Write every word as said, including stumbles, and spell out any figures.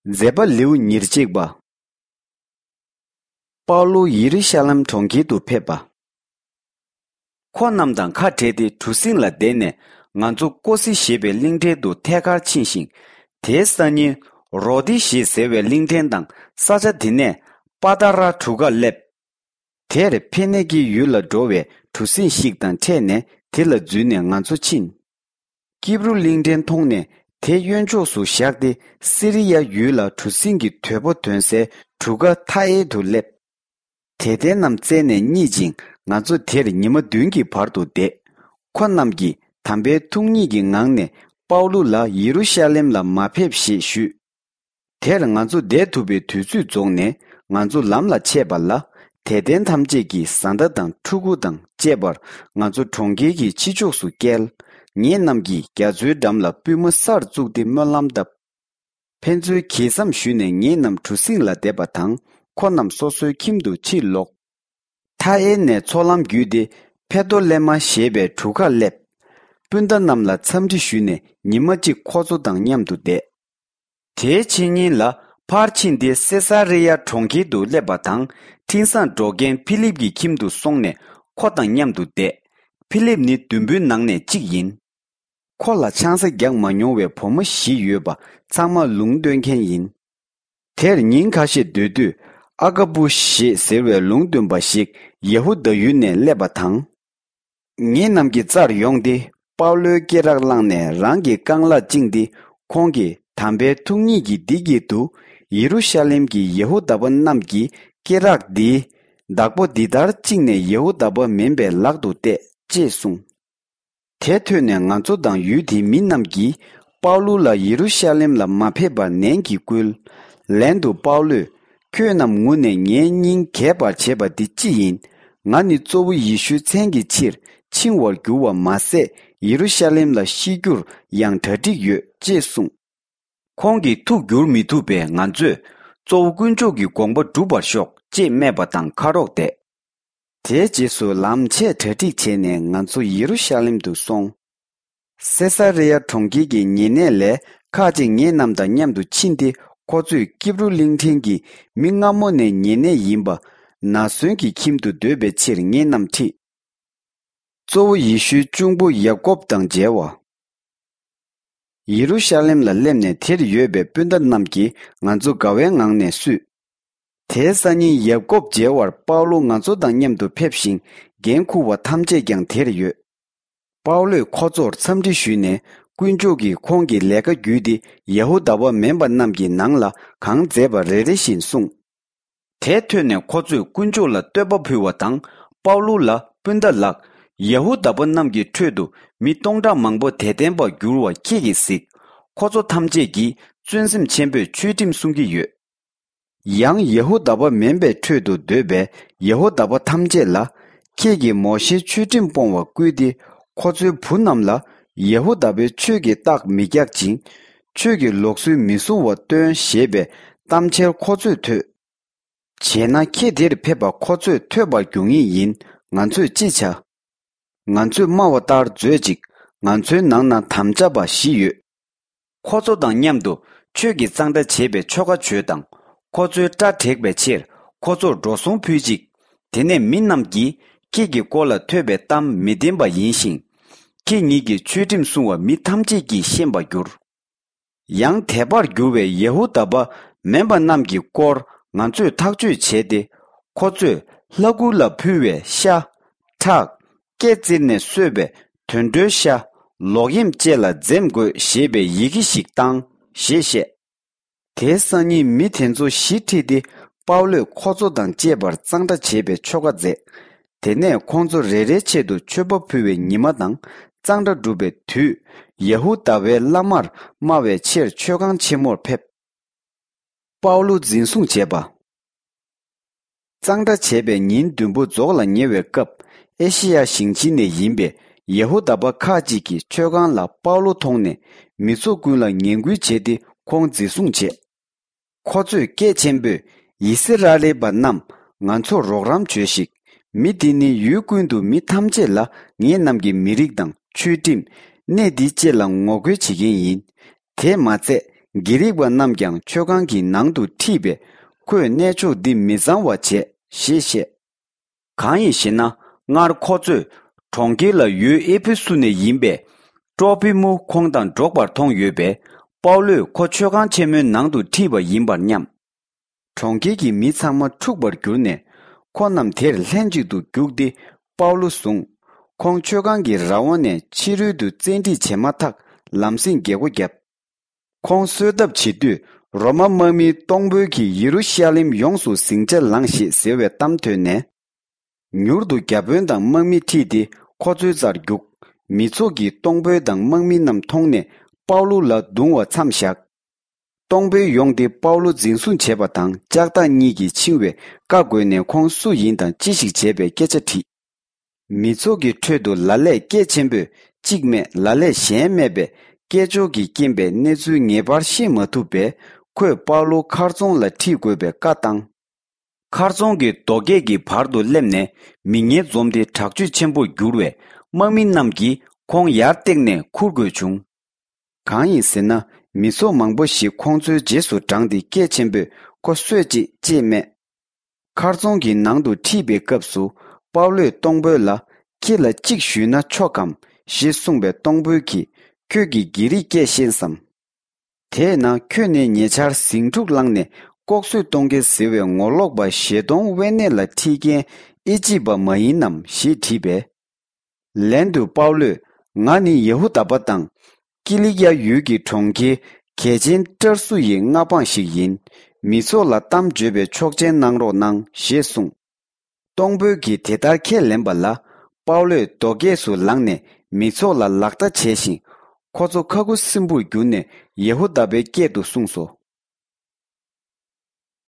མཛད་པ་ལེའུ་ཉེར་གཅིག་པ། པའུ་ལོ་ཡེ་རུ་ཤ་ལེམ་གྲོང་ཁྱེར་དུ་ཕེབས་པ། ཁོ་རྣམས་དང་ཁ་བྲལ་ཏེ་གྲུ་གཟིངས་ལ་བསྡད་ནས། ང་ཚོ་ཀོ་སི་ཞེས་པའི་གླིང་ཕྲན་དུ་ཐད་ཀར་ཕྱིན་ཞིང་། དེའི་སང་ཉིན་རོ་ཏི་ཞེས་ཟེར་བའི་གླིང་ཕྲན་དང་ས་ཆ་དེ་ནས་པ་ཏཱ་ར་གྲུ་ཁར་སླེབས། དེར་ཕེ་ནེ་ཀི་ཡུལ་ལ་འགྲོ་བའི་གྲུ་གཟིངས་ཤིག་དང་འཕྲད་ནས་དེ་ལ་འཛུལ་ནས་ང་ཚོ་ཕྱིན། ཀིབ་རུ་གླིང་ཕྲན་མཐོང་ནས་དེ་གཡོན་ཕྱོགས་སུ་བཞག་སྟེ་སི་རི་ཡ་ཡུལ་ལ་གྲུ་གཟིངས་ཀྱི་དོས་པོ་དོན་སའི་གྲུ་ཁ་ཐ་ཨེ་དུ་སླེབས། དད་ལྡན་རྣམས་བཙལ་ནས་རྙེད་ཅིང་ང་ཚོ་དེར་ཉི་མ་བདུན་གྱི་བར་དུ་བསྡད། ཁོ་རྣམས་ཀྱིས་དམ་པའི་ཐུགས་ཉིད་ཀྱི་ངང་ནས་པའུ་ལུ་ལ་ཡེ་རུ་ཤ་ལེམ་ལ་མ་ཕེབས་ཞེས་ཞུས། དེར་ང་ཚོ་བསྡད་ཐུབ་པའི་དུས་ཚོད་རྫོགས་ནས་ང་ཚོ་ལམ་ལ་ཆས་པ་ལ། དད་ལྡན་ཐམས་ཅད་ཀྱིས་བཟའ་ཟླ་དང་ཕྲུ་གུ་དང་བཅས་པར་ང་ཚོ་གྲོང་ཁྱེར་གྱི་ཕྱི་ཕྱོགས་སུ་བསྐྱལ། ངེད་རྣམས་ཀྱིས་རྒྱ་མཚོའི་འགྲམ་ལ་པུས་མོ་སར་བཙུགས་ཏེ་སྨོན་ལམ་བཏབ། ཕན་ཚུན་གྱེས་མཚམས་ཞུས་ནས་ངེད་རྣམས་གྲུ་གཟིངས་ལ་བསྡད་པ་དང་ཁོ་རྣམས་སོ་སོའི་ཁྱིམ་དུ་ཕྱིར་ལོག། ཐ་ཨེ་ནས་མཚོ་ལམ་བརྒྱུད་དེ་ཕེ་ཏོ་ལེ་མ་ཞེས་པའི་གྲུ་ཁར་སླེབས། སྤུན་ཟླ་རྣམས་ལ་འཚམས་འདྲི་ཞུས་ནས་ཉི་མ་གཅིག་ཁོ་ཚོ་དང་མཉམ་དུ་བསྡད། དེའི་ཕྱི་ཉིན་ལ་ཕར་ཕྱིན་ཏེ་སེ་ས་རི་ཡ་གྲོང་ཁྱེར་དུ་སླེབས་པ་དང་འཕྲིན་བཟང་སྒྲོག་མཁན་ཕི་ལིབ་ཀྱི་ཁྱིམ་དུ་སོང་ནས་ཁོ་དང་མཉམ་དུ་བསྡད། ཕི་ལིབ་ནི་བདུན་པོའི་ནང་ནས་གཅིག་ཡིན། ཁོ་ལ་ཆང་ས་རྒྱག་མ་མྱོང་བའི་བུ་མོ་བཞི་ཡོད་པ་ཚང་མ་ལུང་སྟོན་མཁན་ཡིན། དེར་ཉིན་ཁ་ཤས་སྡོད་དུས་ཨ་ཀ་པུ་ཞེས་ཟེར་བའི་ལུང་སྟོན་པ་ཞིག་ཡེ་ཧུ་དཱ་ཡུལ་ནས་སླེབས་པ་དང་། ངེད་རྣམས་ཀྱི་རྩར་ཡོང་སྟེ་པའུ་ལོའི་སྐེ་རགས་བླངས་ནས་རང་གི་རྐང་ལག་བཅིངས་ཏེ་ཁོང་གིས་དམ་པའི་ཐུགས་ཉིད་ཀྱིས་འདི་སྐད་དུ། ཡེ་རུ་ཤ་ལེམ་གྱི་ཡེ་ཧུ་དཱ་པ་རྣམས་ཀྱིས་སྐེ་རགས་འདིའི་བདག་པོ་འདི་ལྟར་བཅིངས་ནས་ཡེ་ཧུ་དཱ་པ་མིན་པའི་ལག་ཏུ་གཏད་ཅེས་གསུངས། དེ་ཐོས་ནས་ང་ཚོ་དང་ཡུལ་དེའི་མི་རྣམས་ཀྱིས་པའུ་ལུ་ལ་ཡེ་རུ་ཤ་ལེམ་ལ་མ་ཕེབས་པར་ནན་གྱིས་བསྐུལ། ལན་དུ་པའུ་ལུས། ཁྱོད་རྣམས་ངུ་ནས་ངའི་སྙིང་གས་པར་བྱེད་པ་འདི་ཅི་ཡིན། ང་ནི་གཙོ་བོ་ཡེ་ཤུའི་མཚན་གྱི་ཕྱིར་འཆིང་བར་འགྱུར་བ་མ་ཟད་ཡེ་རུ་ཤ་ལེམ་ལ་ཤི་རྒྱུར་ཡང་གྲ་སྒྲིག་ཡོད་ཅེས་གསུངས། ཁོང་གིས་ཐུགས་བསྒྱུར་མི་ཐུབ་པས་ང་ཚོས་གཙོ་བོ་དཀོན་མཆོག་གི་དགོངས་པ་འགྲུབ་པར་ཤོག་ཅེས་སྨྲས་པ་དང་ཁ་རོག་བསྡད། དེའི་རྗེས་སུ་ལམ་ཆས་གྲ་སྒྲིག་བྱས་ནས་ང་ཚོ་ཡེ་རུ་ཤ་ལེམ་དུ་སོང་། སེ་ས་རེ་ཡ་གྲོང་ཁྱེར་གྱི་ཉེ་གནས་ལས་ཁག་ཅིག་ངེད་རྣམས་དང་མཉམ་དུ་ཕྱིན་ཏེ་ཁོ་ཚོས་ཀིབ་རུ་གླིང་ཕྲན་གྱི་མི་སྔ་མོ་ནས་ཉེ་གནས་ཡིན་པ་ན་སོན་གྱི་ཁྱིམ་དུ་སྡོད་པའི་ཕྱིར་ངེད་རྣམས་ཁྲིད། གཙོ་བོ་ཡེ་ཤུའི་གཅུང་པོ་ཡ་ཀོབ་དང་མཇལ་བ། ཡེ་རུ་ཤ་ལེམ་ལ་སླེབས་ནས་དེར་ཡོད་པའི་སྤུན་ཟླ་རྣམས་ཀྱིས་ང་ཚོ་དགའ་བའི་ངང་ནས་བསུས། དེའི་སང་ཉིན་ཡ་ཀོབ་མཇལ་བར་པའུ་ལོ་ང་ཚོ་དང་མཉམ་དུ་ཕེབས་ཤིང་འགན་འཁུར་བ་ཐམས་ཅད་ཀྱང་དེར་ཡོད། པའུ་ལོས་ཁོ་ཚོར་འཚམས་འདྲི་ཞུས་ནས་དཀོན་མཆོག་གིས་ཁོང་གི་ལས་ཀ་བརྒྱུད་དེ་ཡ་ཧུ་དཱ་པ་མིན་པ་རྣམས་ཀྱི་ནང་ལ་གང་མཛད་པ་རེ་རེ་བཞིན་གསུངས། དེ་ཐོས་ནས་ཁོ་ཚོས་དཀོན་མཆོག་ལ་བསྟོད་པ་ཕུལ་བ་དང་པའུ་ལུ་ལ། སྤུན་ཟླ་ལགས། ཡ་ཧུ་དཱ་པ་རྣམས་ཀྱི་ཁྲོད་དུ་མི་སྟོང་ཕྲག་མང་པོ་དད་ལྡན་པར་འགྱུར་བ་ཁྱེད་ཀྱིས་གཟིགས། ཁོ་ཚོ་ཐམས་ཅད་ཀྱིས་བརྩོན་སེམས་ཆེན་པོས་ཆོས་ཁྲིམས་སྲུང་གི་ཡོད། ཡང་ཡ་ཧུ་དཱ་པ་མིན་པའི་ཁྲོད་དུ་སྡོད་པའི་ཡ་ཧུ་དཱ་པ་ཐམས་ཅད་ལ། ཁྱེད་ཀྱིས་མོ་ཤེའི་ཆོས་ཁྲིམས་སྤོང་བར་བསྐུལ་ཏེ་ཁོ་ཚོའི་བུ་རྣམས་ལ་ཡ་ཧུ་དཱ་པའི་ཆོས་ཀྱི་རྟགས་མི་རྒྱག་ཅིང་། ཆོས་ཀྱི་ལུགས་སྲོལ་མི་སྲུང་བ་སྟོན་ཞེས་པའི་གཏམ་འཆལ་ཁོ་ཚོས་ཐོས། བྱས་ན་ཁྱེད་འདིར་ཕེབས་པ་ཁོ་ཚོས་ཐོས་པར་འགྱུར་ངེས་ཡིན། ང་ཚོས་ཅི་བྱ། ང་ཚོས་སྨྲ་བ་ལྟར་མཛོད་ཅིག། ང་ཚོའི་ནང་ན་དམ་བཅའ་བ་བཞི་ཡོད། ཁོ་ཚོ་དང་མཉམ་དུ་ཆོས་ཀྱི་གཙང་སྦྲ་བྱེད་པའི་ཆོ་ག་བྱོས་དང་། ཁོ་ཚོའི་སྐྲ་བྲེག་པའི་ཕྱིར་ཁོ་ཚོར་འགྲོ་སོང་ཕུལ་ཅིག། དེ་ནས་མི་རྣམས་ཀྱིས་ཁྱེད་ཀྱི་སྐོར་ལ་ཐོས་པའི་གཏམ་མི་བདེན་པ་ཡིན་ཞིང་། ཁྱེད་ཉིད་ཀྱི་ཆོས་ཁྲིམས་སྲུང་བ་མི་ཐམས་ཅད་ཀྱིས་ཤེས་པར་འགྱུར། ཡང་དད་པར་འགྱུར་བའི་ཡ་ཧུ་དཱ་པ་མིན་པ་རྣམས་ཀྱི་སྐོར་ང་ཚོས་ཐག་གཅོད་བྱས་ཏེ། ཁོ་ཚོས་ལྷ་སྐུ་ལ་ཕུལ་བའི་ཤ། ཁྲག་སྐེ་བཙིར་ནས་གསོས་པའི་དུད་འགྲོའི་ཤ། ལོག་གཡེམ་བཅས་ལ་འཛེམ་དགོས་ཞེས་པའི་ཡི་གེ་ཞིག་བཏང་ཞེས་བཤད། དེའི་སང་ཉིན་མི་དེ་ཚོ་བཞི་ཁྲིད་དེ་པའུ་ལོས་ཁོ་ཚོ་དང་བཅས་པར་གཙང་སྦྲ་བྱེད་པའི་ཆོ་ག་མཛད། དེ་ནས་ཁོང་ཚོ་རེ་རེའི་ཆེད་དུ་མཆོད་པ་ཕུལ་བའི་ཉི་མ་དང་གཙང་སྦྲ་སྒྲུབ་པའི་དུས། ཡ་ཧུ་དཱ་པའི་བླ་མར་སྨྲ་བའི་ཕྱིར་མཆོད་ཁང་ཆེན་མོར་ཕེབས། པའུ་ལུ་འཛིན་བཟུང་བྱས་པ། གཙང་སྦྲ་བྱས་པའི་ཉིན་བདུན་པོ་རྫོགས་ལ་ཉེ་བའི་སྐབས། ཨེ་ཤེ་ཡ་ཞིང་ཆེན་ནས་ཡིན་པའི་ཡ་ཧུ་དཱ་པ་ཁག་ཅིག་གིས་མཆོད་ཁང་ལ་པའུ་ལུ་མཐོང་ནས་མི་ཚོགས་ཀུན་ལ་ངན་སྐུལ་བྱས་ཏེ་ཁོང་འཛིན་བཟུང་བྱས། ཁོ་ཚོས་སྐད་ཆེན་པོས། ཡི་སི་ར་ཨེལ་པ་རྣམས། ང་ཚོར་རོགས་རམ་བྱོས་ཤིག། མི་འདི་ནི་ཡུལ་ཀུན་ཏུ་མི་ཐམས་ཅད་ལ་ངེད་རྣམས་ཀྱི་མི་རིགས་དང་ཆོས་ཁྲིམས། གནས་འདི་བཅས་ལ་ངོ་རྒོལ་བྱེད་མཁན་ཡིན། དེས་མ་ཚད། གྷི་རིག་པ་རྣམས་ཀྱང་མཆོད་ཁང་གི་ནང་དུ་ཁྲིད་པས། ཁོས་གནས་མཆོག་འདི་མི་གཙང་བ་བྱས་ཞེས་བཤད། གང་ཡིན་ཞེ་ན། སྔར་ཁོ་ཚོས་གྲོང་ཁྱེར་ལ་ཡོད་ཨེ་ཕེ་སུ་ནས་ཡིན་པའི་ཏྲོ་ཕི་མུ་ཁོང་དང་འགྲོགས་པར་མཐོང་ཡོད་པས། པའུ་ལོས་ཁོ་མཆོད་ཁང་ཆེན་མོའི་ནང་དུ་ཁྲིད་པ་ཡིན་པར་སྙམ། གྲོང་ཁྱེར་གྱི་མི་ཚང་མ་འཁྲུགས་པར་གྱུར་ནས། ཁོ་རྣམས་དེར་ལྷན་ཅིག་ཏུ་རྒྱུགས་ཏེ་པའུ་ལོ་བཟུང་། ཁོང་མཆོད་ཁང་གི་ར་བ་ནས་ཕྱི་རོལ་དུ་བཙན་ཁྲིད་བྱས་མ་ཐག་ལམ་སེང་རྒྱལ་སྒོ་བརྒྱབ། ཁོང་གསོད་ཐབས་བྱེད་དུས། རོ་མ་དམག་མིའི་གཏོང་དཔོན་གྱིས་ཡེ་རུ་ཤ་ལེམ་ཡོངས་སུ་ཟིང་ཆ་ལངས་ཞེས་ཟེར་བའི་གཏམ་ཐོས་ནས། མྱུར་དུ་བརྒྱ་དཔོན་དང་དམག་མི་ཁྲིད་དེ་ཁོ་ཚོའི་རྩར་རྒྱུགས། མི་ཚོགས་ཀྱིས་གཏོང་དཔོན་དང་དམག་མི་རྣམས་མཐོང་ནས་པའུ་ལུ་ལ་རྡུང་བ་མཚམས་བཞག། གཏོང་དཔོན་ཡོང་སྟེ་པའུ་ལུ་འཛིན་བཟུང་བྱས་པ་དང་ལྕགས་ཐག་གཉིས་ཀྱིས་འཆིང་བའི་བཀའ་བསྒོས་ནས་ཁོང་སུ་ཡིན་དང་ཅི་ཞིག་བྱས་པའི་སྐད་ཆ་དྲིས། མི་ཚོགས་ཀྱི་ཁྲོད་དུ་ལ་ལས་སྐད་ཆེན་པོས་གཅིག་སྨྲས་ལ་ལས་གཞན་སྨྲས་པས། སྐད་ཅོར་གྱི་རྐྱེན་པས་གནས་ཚུལ་ངེས་པར་ཤེས་མ་ཐུབ་པས། ཁོས་པའུ་ལུ་མཁར་རྫོང་ལ་ཁྲིད་དགོས་པའི་བཀའ་བཏང་། མཁར་རྫོང་གི་རྡོ་སྐས་ཀྱི་བར་དུ་སླེབས་ནས་མི་ངན་འཛོམས་ཏེ་དྲག་སྤྱོད་ཆེན་པོར་གྱུར་བས། དམག་མི་རྣམས་ཀྱིས་ཁོང་ཡར་བཏེགས་ནས་ཁུར་དགོས་བྱུང་། གང་ཡིན་ཟེར་ན། མི་ཚོགས་མང་པོ་ཞིག་ཁོང་ཚོའི་རྗེས་སུ་འབྲངས་ཏེ་སྐད་ཆེན་པོས་ཁོ་གསོད་ཅིག་ཅེས་སྨྲས། མཁར་རྫོང་གི་ནང་དུ་ཁྲིད་པའི་སྐབས་སུ། པའུ་ལོས་གཏོང་དཔོན་ལ། ཁྱེད་ལ་གཅིག་ཞུས་ན་ཆོག་གམ་ཞེས་གསུངས་པས། གཏོང་དཔོན་གྱིས། ཁྱོད་ཀྱིས་གྷི་རིག་སྐད་ཤེས་སམ། དེས་ན་ཁྱོད་ནི་ཉེ་ཆར་ཟིང་འཁྲུག་བསླངས་ནས་ལྐོག་གསོད་གཏོང་མཁན་ཟེར་བའི་ངོ་ལོག་པ་ཞེ་མཐོང་ཝེ་ནེ་ལ་ཁྲིད་མཁན་ཨེ་ཅིབ་པ་མ་ཡིན་ནམ་ཞེས་དྲིས་པས། ལན་དུ་པའུ་ལོས། ང་ནི་ཡ་ཧུ་དཱ་པ་དང་། ཀི་ལི་ཀ་ཡ་ཡུལ་གྱི་གྲོང་ཁྱེར་གལ་ཆེན་ཏྲར་སུ་ཡི་མངའ་འབངས་ཤིག་ཡིན། མི་ཚོགས་ལ་གཏམ་བརྗོད་པའི་ཆོག་མཆན་གནང་རོགས་གནང་ཞེས་གསུངས། གཏོང་དཔོན་གྱིས་དེ་ལྟར་ཁས་ལེན་པ་ལ། པའུ་ལོས་རྡོ་སྐས་སུ་ལངས་ནས་མི་ཚོགས་ལ་ལག་བརྡ་བྱས་ཤིང་། ཁོ་ཚོ་ཁ་ཁུ་སིམ་པོར་གྱུར་ནས་ཡ་ཧུ་དཱ་པའི་སྐད་དུ་གསུངས་སོ།